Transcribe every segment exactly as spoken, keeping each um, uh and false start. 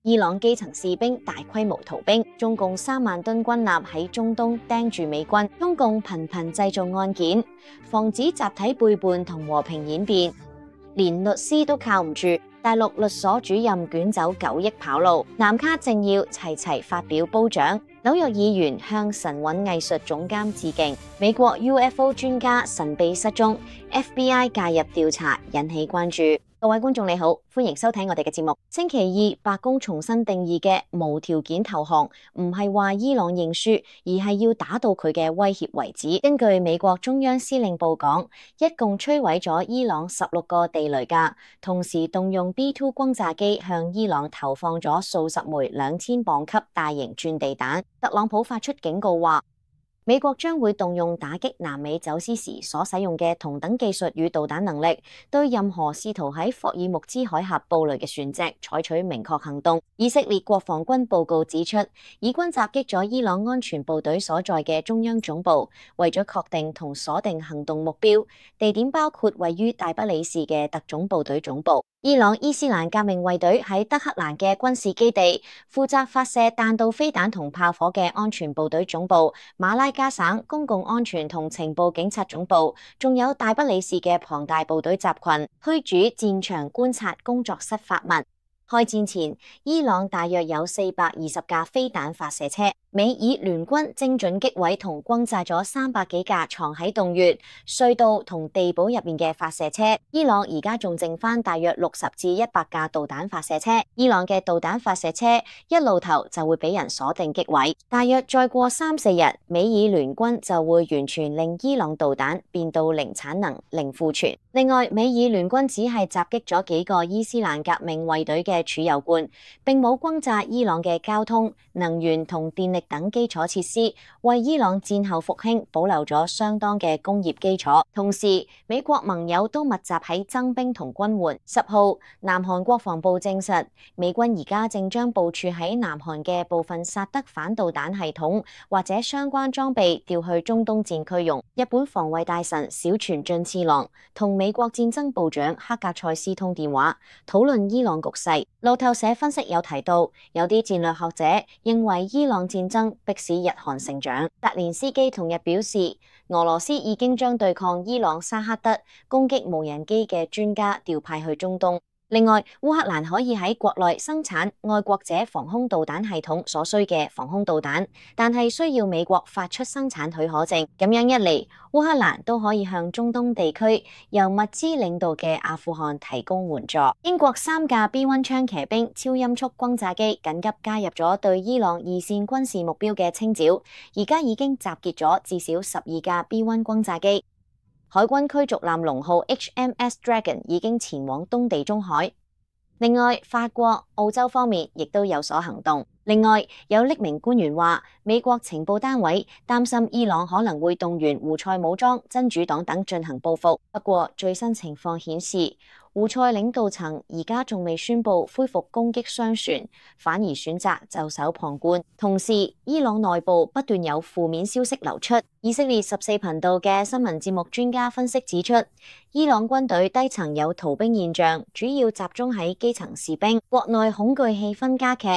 伊朗基層士兵大規模逃兵，中共三萬噸軍艦喺中東盯住美軍，中共頻頻製造案件，防止集體背叛同和平演變，連律師都靠唔住。大陸律所主任捲走九億跑路，南卡政要齊齊發表褒獎，紐約議員向神韻藝術總監致敬，美國 U F O 專家神秘失蹤 ，F B I 介入調查引起關注。各位觀眾你好，歡迎收睇我哋嘅節目。星期二，白宮重新定義嘅無條件投降，唔係話伊朗認輸，而係要打到佢嘅威脅為止。根據美國中央司令部講，一共摧毀咗伊朗十六個地雷架，同時動用 B 二 轟炸機向伊朗投放咗數十枚兩千磅級大型鑽地彈。特朗普發出警告話，美國將會動用打擊南美走私時所使用嘅同等技術與導彈能力，對任何試圖喺霍爾木茲海峽布雷嘅船隻採取明確行動。以色列國防軍報告指出，以軍襲擊咗伊朗安全部隊所在嘅中央總部，為咗確定同鎖定行動目標，地點包括位於大不里士嘅特種部隊總部。伊朗伊斯蘭革命衛隊喺德黑蘭嘅軍事基地，負責發射彈道飛彈同炮火嘅安全部隊總部，馬拉加省公共安全同情報警察總部，仲有大不里士嘅龐大部隊集群，虛主戰場觀察工作室發文。開戰前，伊朗大約有四百二十架飛彈發射車，美以聯軍精準擊毀同轟炸咗三百幾架藏喺洞穴、隧道同地堡入面嘅發射車。伊朗而家仲剩翻大約六十至一百架導彈發射車。伊朗嘅導彈發射車一露頭就會俾人鎖定擊毀，大約再過三四日，美以聯軍就會完全令伊朗導彈變到零產能、零庫存。另外，美以聯軍只係襲擊咗幾個伊斯蘭革命衛隊嘅儲油罐，並冇轟炸伊朗嘅交通、能源同電力等基礎設施，為伊朗戰後復興保留咗相當嘅工業基礎。同時，美國盟友都密集喺增兵同軍援。十號，南韓國防部證實，美軍而家正將部署喺南韓嘅部分薩德反導彈系統或者相關裝備調去中東戰區用。日本防衛大臣小泉進次郎同美國戰爭部長克格塞斯通電話，討論伊朗局勢。路透社分析有提到，有啲戰略學者認為伊朗戰爭迫使日韓成長。澤連斯基同日表示，俄羅斯已經將對抗伊朗沙克德攻擊無人機嘅專家調派去中東。另外，烏克蘭可以喺國內生產愛國者防空導彈系統所需嘅防空導彈，但係需要美國發出生產許可證。咁樣一嚟，烏克蘭都可以向中東地區由物資領導嘅阿富汗提供援助。英國三架 B 一 槍騎兵超音速轟炸機緊急加入咗對伊朗二線軍事目標嘅清剿，而家已經集結咗至少十二架 B 一 轟炸機。海軍驅逐艦龍號 H M S Dragon 已經前往東地中海。另外，法國、澳洲方面亦都有所行動。另外，有匿名官員話，美國情報單位擔心伊朗可能會動員胡塞武裝、真主黨等進行報復。不過，最新情況顯示，胡塞領導層而家仲未宣布恢復攻擊商船，反而選擇袖手旁觀。同時，伊朗內部不斷有負面消息流出。以色列十四頻道嘅新聞節目專家分析指出，伊朗軍隊低層有逃兵現象，主要集中喺基層士兵，國內恐懼氣氛加劇。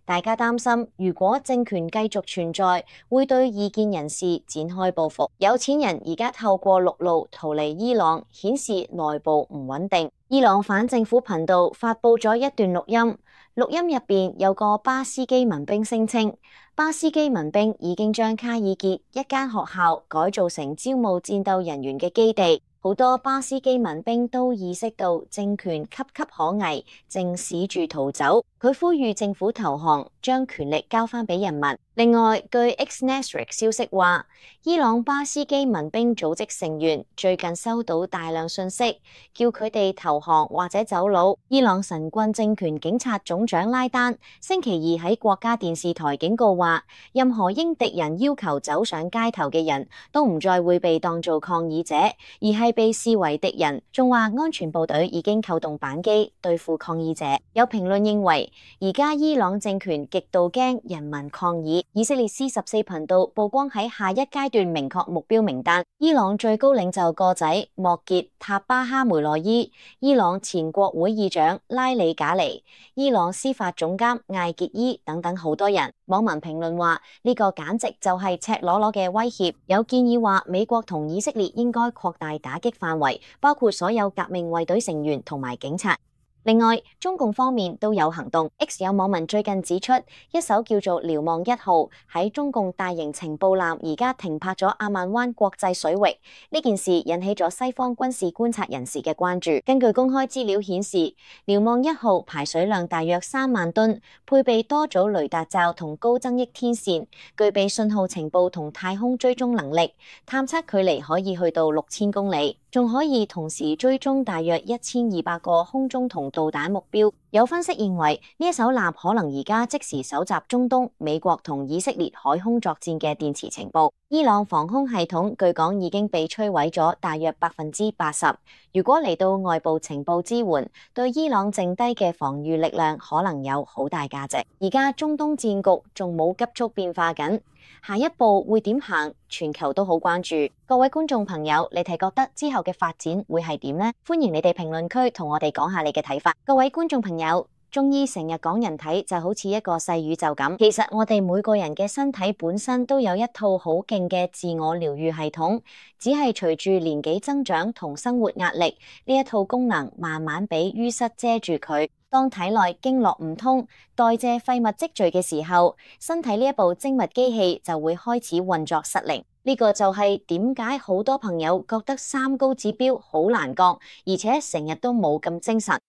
大家擔心，如果政權繼續存在，會對異見人士展開報復。有錢人而家透過陸路逃離伊朗，顯示內部唔穩定。伊朗反政府頻道發佈咗一段錄音，錄音入邊有個巴斯基民兵聲稱，巴斯基民兵已經將卡爾傑一間學校改造成招募戰鬥人員嘅基地。好多巴斯基民兵都意識到政權岌岌可危，正試住逃走。佢呼籲政府投降，將權力交翻俾人民。另外，據 X-Nasraq 消息話，伊朗巴斯基民兵組織成員最近收到大量信息，叫佢哋投降或者走佬。伊朗神棍政權警察總長拉丹星期二喺國家電視台警告話，任何應敵人要求走上街頭嘅人都唔再會被當做抗議者，而係被視為敵人。仲話安全部隊已經扣動扳機對付抗議者。有評論認為，而家伊朗政權極度驚人民抗議。以色列 C 十四頻道曝光喺下一階段明確目標名單，伊朗最高領袖個仔莫傑塔巴哈梅內伊、伊朗前國會議長拉里賈尼、伊朗司法總監艾傑伊等等好多人。網民評論話呢個簡直就係赤裸裸嘅威脅，有建議話美國同以色列應該擴大打擊範圍，包括所有革命衛隊成員同埋警察。另外，中共方面都有行動。X 有網民最近指出，一艘叫做瞭望一號喺中共大型情報艦而家停泊咗阿曼灣國際水域。呢件事引起咗西方軍事觀察人士嘅關注。根據公開資料顯示，瞭望一號排水量大約三萬噸，配備多組雷達罩同高增益天線，具備信號情報同太空追蹤能力，探測距離可以去到六千公里。仲可以同時追蹤大約一千二百個空中同導彈目標。有分析認為，呢一艘艦可能而家即時搜集中東、美國同以色列海空作戰嘅電磁情報。伊朗防空系統據講已經被摧毀咗大約百分之八十。如果嚟到外部情報支援，對伊朗剩低嘅防禦力量可能有好大價值。而家中東戰局仲冇急速變化緊，下一步會點行？全球都好關注。各位觀眾朋友，你哋覺得之後嘅發展會係點呢？歡迎你哋評論區同我哋講下你嘅睇法。各位觀眾朋友，中醫成日講人體就好似一個細宇宙咁，其實我哋每個人嘅身體本身都有一套好勁嘅自我療愈系統，只係隨住年紀增長同生活壓力，呢一套功能慢慢俾淤塞遮住佢。當體內經絡唔通，代謝廢物積聚嘅時候，身體呢一部精密機器就會開始運作失靈。呢個就係點解好多朋友覺得三高指標好難降，而且成日都冇咁精神。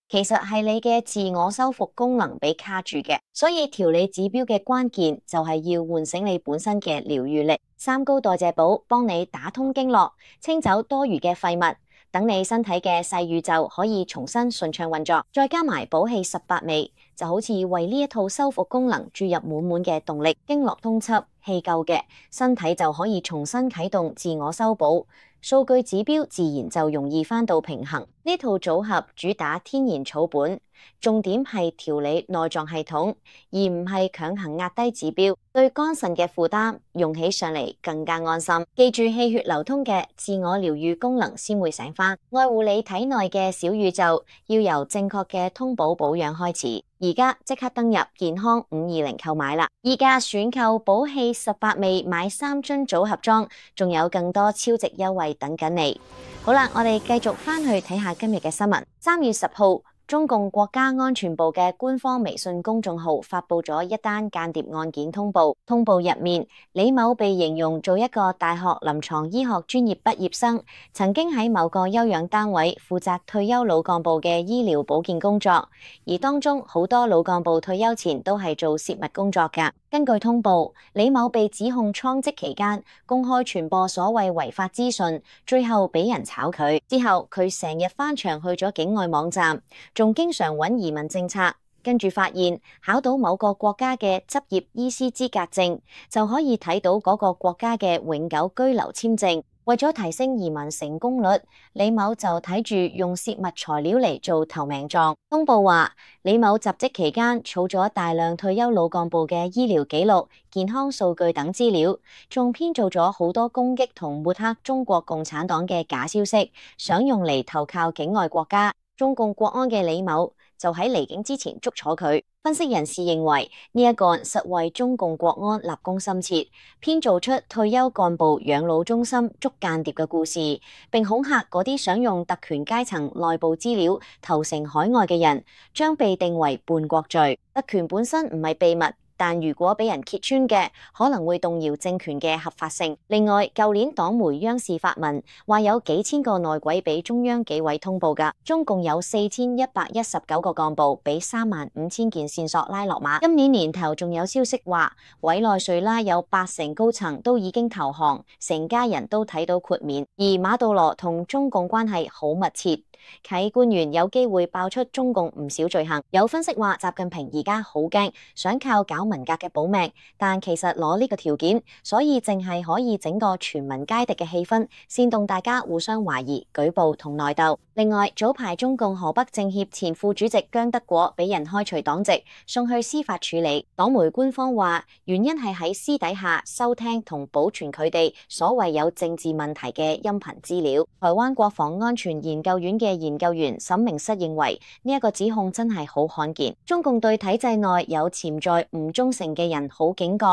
其實係你嘅自我修復功能被卡住嘅，所以調理指標嘅關鍵就係要喚醒你本身嘅療愈力。三高代謝寶幫你打通經絡，清走多餘嘅廢物，等你身體嘅細宇宙可以重新順暢運作。再加埋補氣十八味，就好似為呢一套修復功能注入滿滿嘅動力。經絡通緝，氣夠嘅，身體就可以重新啟動自我修補，數據指標自然就容易返到平衡。呢套組合主打天然草本，重點係調理內臟系統，而唔係強行壓低指標，對肝腎嘅負擔用起上嚟更加安心。記住氣血流通嘅自我療愈功能先會醒返，愛護你體內嘅小宇宙，要由正確嘅通補保養開始。而家即刻登入健康五二零購買啦！而家選購補氣十八味買三樽組合裝，仲有更多超值優惠等緊你。好啦，我哋繼續返去睇下今日嘅新聞。三月十號，中共國家安全部嘅官方微信公眾號發佈咗一單間諜案件通報。通報入面，李某被形容做一個大學臨床醫學專業畢業生，曾經喺某個休養單位負責退休老幹部嘅醫療保健工作，而當中好多老幹部退休前都係做泄密工作㗎。根據通報，李某被指控創職期間公開傳播所謂違法資訊，最後俾人炒佢。之後佢成日翻牆去咗境外網站，仲經常揾移民政策。跟住發現考到某個國家嘅執業醫師資格證，就可以睇到嗰個國家嘅永久居留簽證。為咗提升移民成功率，李某就睇住用泄密材料嚟做投名狀。通報話，李某入職期間儲咗大量退休老幹部嘅醫療記錄、健康數據等資料，仲編造咗好多攻擊同抹黑中國共產黨嘅假消息，想用嚟投靠境外國家。中共國安嘅李某就喺離境之前捉楚佢。分析人士認為呢一個實為中共國安立功心切，編造出退休幹部養老中心捉間諜嘅故事，並恐嚇嗰啲想用特權階層內部資料投誠海外嘅人，將被定為叛國罪。特權本身唔係秘密，但如果俾人揭穿嘅，可能會動搖政權嘅合法性。另外，舊年黨媒央視發文話有幾千個內鬼俾中央紀委通報㗎，中共有四千一百一十九個幹部俾三萬五千件線索拉落馬。今年年頭仲有消息話，委內瑞拉有八成高層都已經投降，成家人都睇到豁免。而馬杜羅同中共關係好密切，啟官員有機會爆出中共唔少罪行。有分析話，習近平而家好驚，想靠搞文革嘅保命，但其實攞呢個條件，所以淨係可以整個全民皆敵嘅氣氛，煽動大家互相懷疑、舉報同內鬥。另外，早排中共河北政協前副主席姜德果俾人開除黨籍，送去司法處理。黨媒官方話，原因係喺私底下收聽同保存佢哋所謂有政治問題嘅音頻資料。台灣國防安全研究院嘅研究員沈明室認為，呢一個指控真係好罕見。中共對體制內有潛在唔忠誠嘅人好警覺，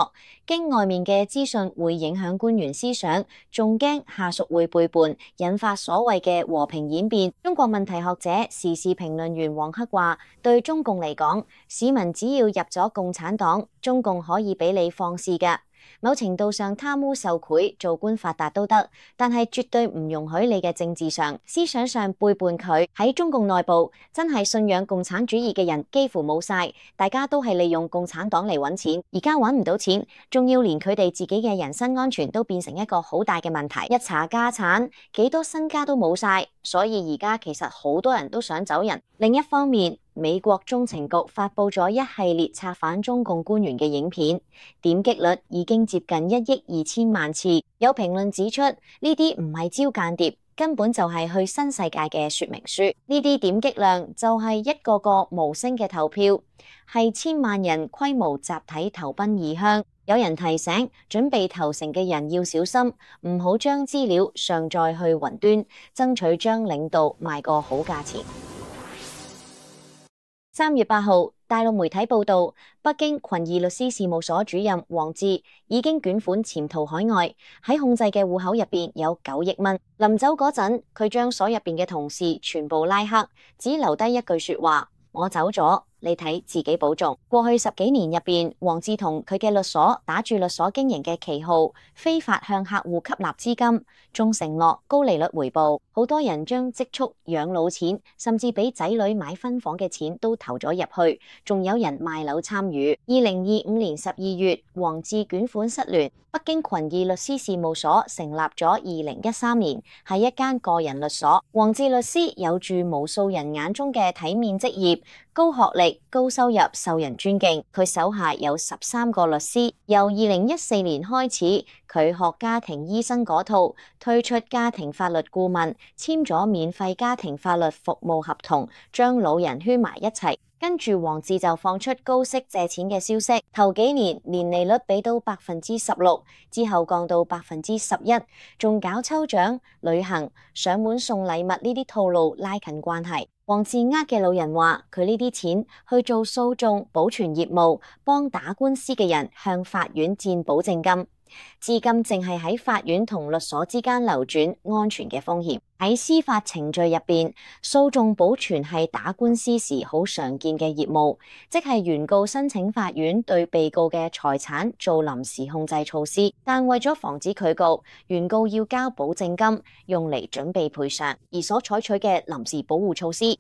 驚外面嘅資訊會影響官員思想，仲驚下屬會背叛，引發所謂嘅和平演變。中國問題學者、時事評論員黃克話，對中共嚟講，市民只要入咗共產黨，中共可以俾你放肆㗎。某程度上貪污受賄、做官發達都得，但係絕對唔容許你嘅政治上、思想上背叛佢。喺中共內部，真係信仰共產主義嘅人幾乎冇晒，大家都係利用共產黨嚟揾錢，而家揾唔到錢，仲要連佢哋自己嘅人身安全都變成一個好大嘅問題。一查家產，幾多身家都冇晒，所以而家其實好多人都想走人。另一方面，美國中情局發佈咗一系列策反中共官員嘅影片，點擊率已經接近一億二千萬次。有評論指出，呢啲唔係招間諜，根本就係去新世界嘅說明書。呢啲點擊量就係一個個無聲嘅投票，係千萬人規模集體投奔異鄉。有人提醒準備投誠嘅人要小心，唔好將資料上載去雲端，爭取將領導賣個好價錢。三月八號，大陸媒體報道，北京群義律師事務所主任王志已經捲款潛逃海外，喺控制嘅戶口入邊有九億蚊。臨走嗰陣，佢將所入邊嘅同事全部拉黑，只留低一句說話：我走咗，你睇自己保重。過去十幾年入邊，王志同佢嘅律所打住律所經營嘅旗號，非法向客戶吸納資金，仲承諾高利率回報。好多人將積蓄養老錢，甚至俾仔女買分房嘅錢都投咗入去，仲有人賣樓參與。二零二五年十二月，王志捲款失聯，北京群義律師事務所成立咗二零一三年，係一間個人律所。王志律師有住無數人眼中嘅體面職業，高學歷、高收入，受人尊敬。佢手下有十三個律師。由二零一四年開始，佢學家庭醫生嗰套，推出家庭法律顧問，簽咗免費家庭法律服務合同，將老人圈埋一齊。跟住王志就放出高息借錢嘅消息，頭幾年年利率俾到百分之十六，之後降到百分之十一，仲搞抽獎、旅行、上門送禮物呢啲套路拉近關係。王志呃嘅老人話，佢呢啲錢去做訴訟、保全業務，幫打官司嘅人向法院佔保證金。資金淨係喺法院同律所之間流轉，安全嘅風險。喺司法程序入邊，訴訟保全係打官司時好常見嘅業務，即係原告申請法院對被告嘅財產做臨時控制措施，但為咗防止拒告，原告要交保證金，用嚟準備賠償，而所採取嘅臨時保護措施，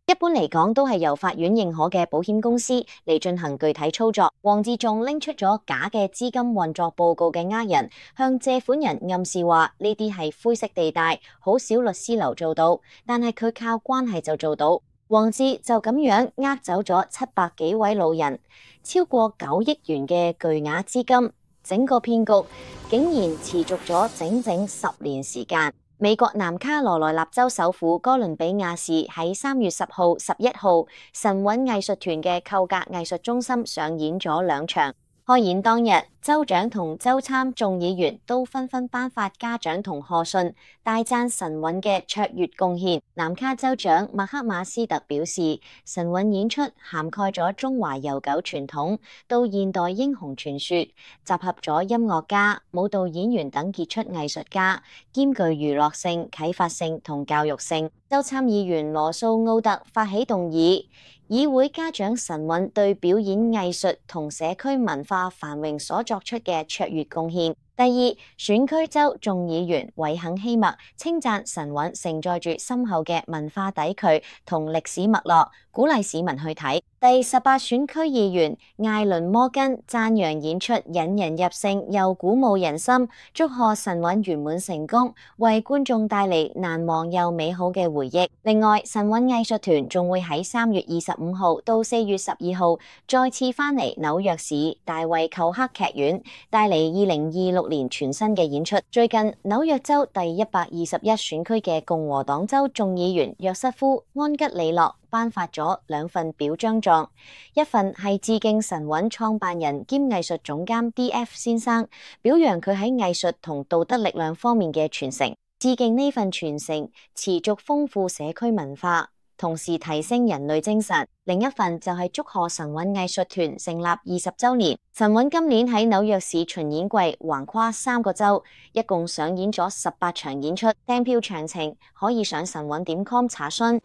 一般嚟講都係由法院認可嘅保險公司嚟進行具體操作。王志仲拎出咗假嘅資金運作報告嘅呃人，向借款人暗示話呢啲係灰色地帶，好少律師樓做到，但係佢靠關係就做到。王志就咁樣呃走咗七百幾位老人，超過九億元嘅巨額資金，整個騙局竟然持續咗整整十年時間。美國南卡羅來納州首府哥倫比亞市喺三月十號、十一號，神韻藝術團嘅寇格藝術中心上演咗兩場。開演當日，州長同州參眾議員都紛紛頒發嘉獎同賀信，大讚神韻嘅卓越貢獻。南卡州長麥克馬斯特表示，神韻演出涵蓋咗中華悠久傳統到現代英雄傳說，集合咗音樂家、舞蹈演員等傑出藝術家，兼具娛樂性、啟發性同教育性。州參議員羅素奧特發起動議，議會嘉獎神韻對表演藝術同社區文化繁榮所作出嘅卓越貢獻。第二，選區州眾議員韋肯希默稱讚神韻承載住深厚嘅文化底蘊同歷史脈絡，鼓勵市民去睇。第十八選區議員艾倫摩根讚揚演出引人入勝又鼓舞人心，祝賀神韻圓滿成功，為觀眾帶嚟難忘又美好嘅回憶。另外，神韻藝術團仲會喺三月二十五號到四月十二號再次返嚟紐約市大衛寇克劇院，帶嚟二零二六年全新嘅演出。最近紐約州第一百二十一選區嘅共和黨州眾議員約瑟夫·安吉里諾頒發咗兩份表彰狀，一份係致敬神韻創辦人兼藝術總監 D F 先生，表揚佢喺藝術同道德力量方面嘅傳承，致敬呢份傳承持續豐富社區文化，同時提升人類精神。另一份就係祝賀神韻藝術團成立二十週年。神韻今年喺紐約市巡演季橫跨三個州，一共上演咗十八場演出。訂票詳情可以上神韻點 com 查詢。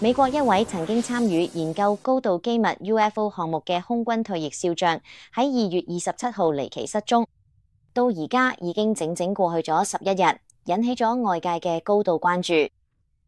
美國一位曾經參與研究高度機密 U F O 項目嘅空軍退役少將喺二月二十七號離奇失蹤，到而家已經整整過去咗十一日，引起咗外界嘅高度關注。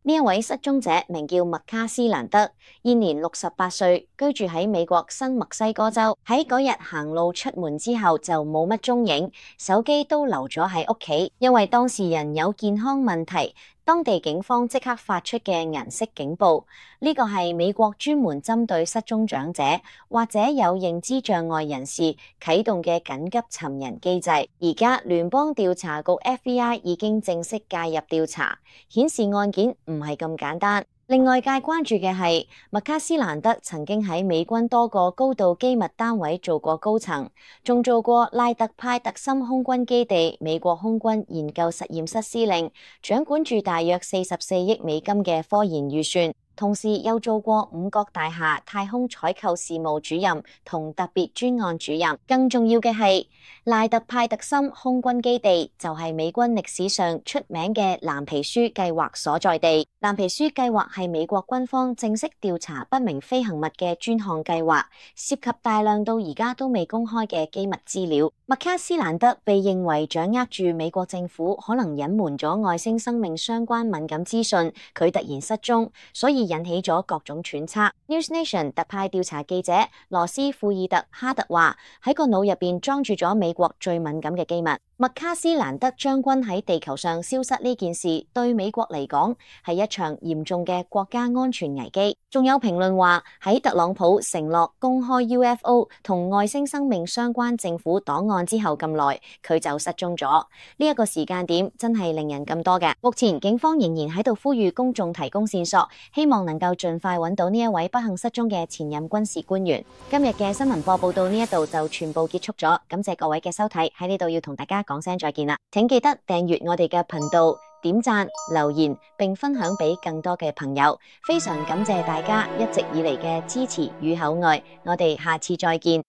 呢一位失蹤者名叫麥卡斯蘭德，現年六十八歲，居住喺美國新墨西哥州。喺嗰日行路出門之後就冇乜蹤影，手機都留咗喺屋企，因為當事人有健康問題。當地警方即刻發出嘅銀色警報，呢個係美國專門針對失蹤長者或者有認知障礙人士啟動嘅緊急尋人機制。而家聯邦調查局 F B I 已經正式介入調查，顯示案件唔係咁簡單。令外界關注嘅係麥卡斯蘭德曾經喺美軍多個高度機密單位做過高層，仲做過賴特派特森空軍基地美國空軍研究實驗室司令，掌管住大約四十四億美金嘅科研預算。同時又做過五角大廈太空採購事務主任同特別專案主任。更重要嘅係，賴特派特森空軍基地就係美軍歷史上出名嘅藍皮書計劃所在地。藍皮書計劃係美國軍方正式調查不明飛行物嘅專項計劃，涉及大量到而家都未公開嘅機密資料。麥卡斯蘭德被認為掌握住美國政府可能隱瞞咗外星生命相關敏感資訊，佢突然失蹤，所以引起咗各種揣測。News Nation 特派調查記者羅斯庫爾特哈特話：喺個腦入邊裝住咗美國最敏感嘅機密。麥卡斯蘭德將軍喺地球上消失呢件事，對美國嚟講係一場嚴重嘅國家安全危機。仲有評論話，喺特朗普承諾公開 U F O 同外星生命相關政府檔案之後咁耐，佢就失蹤咗。呢一個時間點真係令人咁多嘅。目前警方仍然喺度呼籲公眾提供線索，希望能夠盡快揾到呢一位不幸失蹤嘅前任軍事官員。今日嘅新聞播報到呢一度就全部結束咗，感謝各位嘅收睇，喺呢度要同大家講聲再見啦！請記得訂閱我哋嘅頻道、點讚、留言並分享俾更多嘅朋友。非常感謝大家一直以嚟嘅支持與厚愛，我哋下次再見。